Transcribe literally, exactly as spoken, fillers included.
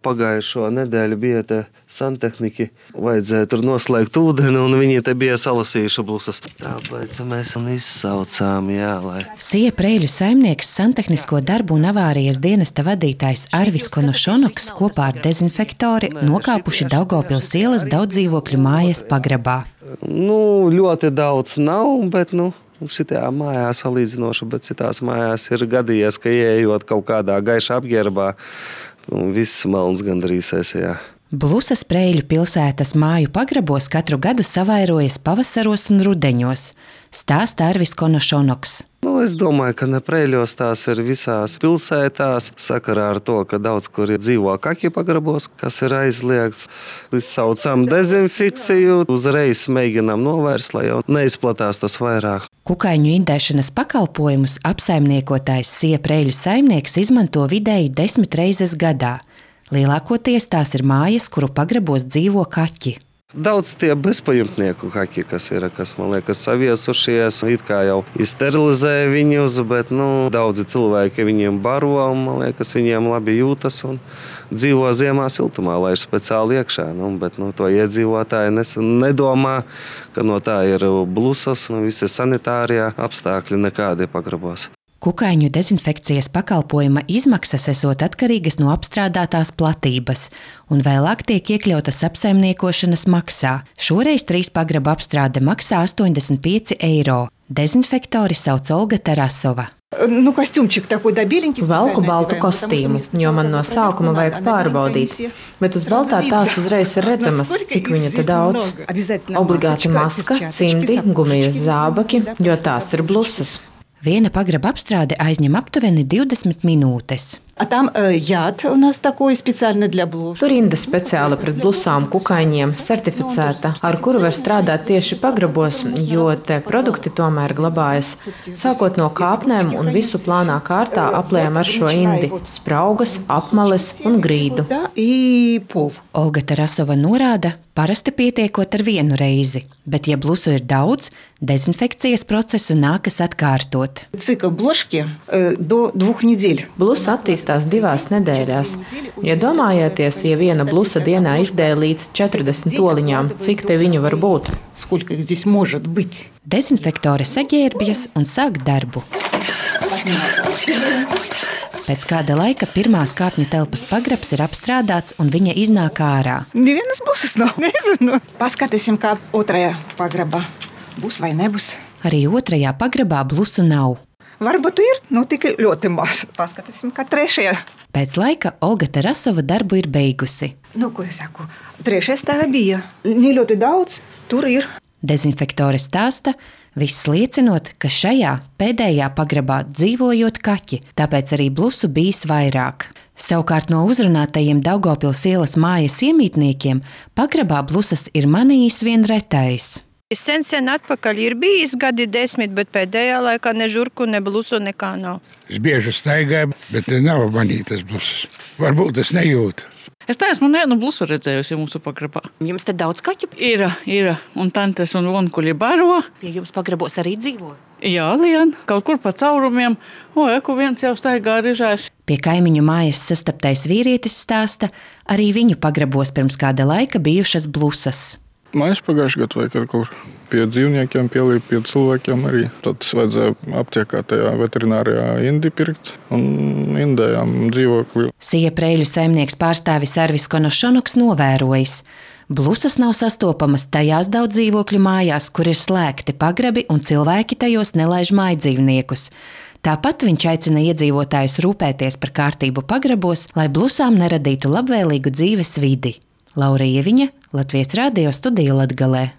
Pagājušo nedēļu bija te santehniķi, vajadzēja tur noslēgt ūdeni, un viņi te bija salasījuši blusas. Tāpēc mēs un izsaucām, jā, lai... Sija Preļu saimnieks, santehnisko darbu un avārijas dienesta vadītājs Arvis Konošonoks kopā ar dezinfektori nokāpuši Daugavpils ielas daudzdzīvokļu mājas pagrabā. Nu, ļoti daudz nav, bet, nu... Šitajā mājā salīdzinoši, bet citās mājās ir gadījies, ka ieejot kaut kādā gaišā apģērbā, viss melns gandrīz esajā. Blusas Preļu pilsētas māju pagrabos katru gadu savairojas pavasaros un rudeņos, stāsta Arvis Konošonoks. Nu, es domāju, ka ne Preļos tās ir visās pilsētās, sakarā ar to, ka daudz kur dzīvo kaki pagrabos, kas ir aizliegts. Saucam dezinfekciju, uzreiz mēģinām novērst, lai jau neizplatās tas vairāk. Kukaiņu indēšanas pakalpojumus apsaimniekotājs Sija Preļu saimnieks izmanto vidēji desmit reizes gadā. Lielākoties tās ir mājas, kuru pagrabos dzīvo kaķi. Daudz tie bezpajumtnieku kaķi, kas ir, kas, man liekas, saviesušies, it kā jau izsterilizē viņus, bet, nu, daudzi cilvēki viņiem baro, un, man liekas, viņiem labi jūtas un dzīvo ziemā siltumā, lai ir speciāli iekšā, nu, bet, nu, to iedzīvotāji nes, nedomā, ka no tā ir blusas, nu, visi sanitārie apstākļi nekādi pagrabos. Kukaiņu dezinfekcijas pakalpojuma izmaksas esot atkarīgas no apstrādātās platības, un vēlāk tiek iekļautas apsaimniekošanas maksā. Šoreiz trīs pagraba apstrāde maksā astoņdesmit pieci eiro. Dezinfektori sauc Olga Tarasova. Nu, kostīmčik такой да беленький. Valku baltu kostīmu, jo man no sākuma vajag pārbaudīt, bet uz baltā tās uzreiz ir redzamas, cik viņa te daudz. Obligāti maska, cimdi, gumijas zābaki, jo tās ir blusas. Viena pagraba apstrāde aizņem aptuveni divdesmit minūtes. А там э, яд у нас такой специально для блуз. Tur rinda speciāli pret blusām kukaiņiem, certificēta, ar kuru var strādāt tieši pagrabos, jo te produkti tomēr glabājas. Sākot no kāpnēm un visu plānā kārtā apliejam ar šo indi – spraugas, apmales un grīdu. Olga Tarasova norāda, parasti pietiekot ar vienu reizi, bet ja blusu ir daudz, dezinfekcijas procesu nākas atkārtot. Cikl bloški э, do двух недель. Blusa attīstās divās nedēļās. Ja domājieties, ja viena blusa dienā izdēja līdz četrdesmit oliņām, cik te viņu var būt? Сколько их здесь может быть? Dezinfektore saģērbjas un sāk darbu. Pēc kāda laika pirmās kāpņu telpas pagrabs ir apstrādāts un viņa iznāk ārā. Nevienas blusas nav, nezinu. Paskatīsim, kā otrajā pagrabā. Būs vai nebūs? Arī otrajā pagrabā blusu nav. Varbūt ir, nu tikai ļoti maz. Paskatīsim, kā trešajā. Pēc laika Olga Tarasova darbu ir beigusi. Nu, ko es saku? Trešajā stāvā bija. Ne ļoti daudz, tur ir. Dezinfektore stāsta, viss liecinot, ka šajā pēdējā pagrabā dzīvojot kaķi, tāpēc arī blusu bijis vairāk. Savukārt no uzrunātajiem Daugavpils ielas mājas iemītniekiem pagrabā blusas ir manījis vien retais. Sen sen atpakaļ ir bijis gadi desmit, bet pēdējā laikā ne žurku, ne blusu nekā nav. Es bieži staigāju, bet nav manītas blusas. Varbūt es nejūtu. Es neesmu nevienu blusu redzējusi mūsu pagrabā. Jums te daudz kaķu? Ir, ir. Un tantes un vonkuļi baro. Pie jums pagrabos arī dzīvo? Jā, lien. Kaut kur pa caurumiem. O, eku viens jau staigā rižēs. Pie kaimiņu mājas sastaptais vīrietis stāsta, arī viņu pagrabos pirms kāda laika bijušas blusas. Mājas pagājušajā gadā vai kaut kur pie dzīvniekiem pielīp, pie cilvēkiem arī. Tad vajadzēja aptiekā tajā veterinārijā indi pirkt un indējām dzīvokli. Sija Preļu saimnieks pārstāvis Arvis Konošonoks novērojis. Blusas nav sastopamas tajās daudz dzīvokļu mājās, kur ir slēgti pagrabi un cilvēki tajos nelaiž mājdzīvniekus. Tāpat viņš aicina iedzīvotājus rūpēties par kārtību pagrabos, lai blusām neradītu labvēlīgu dzīves vidi. Laura Ieviņa, Latvijas radio studija Latgalē.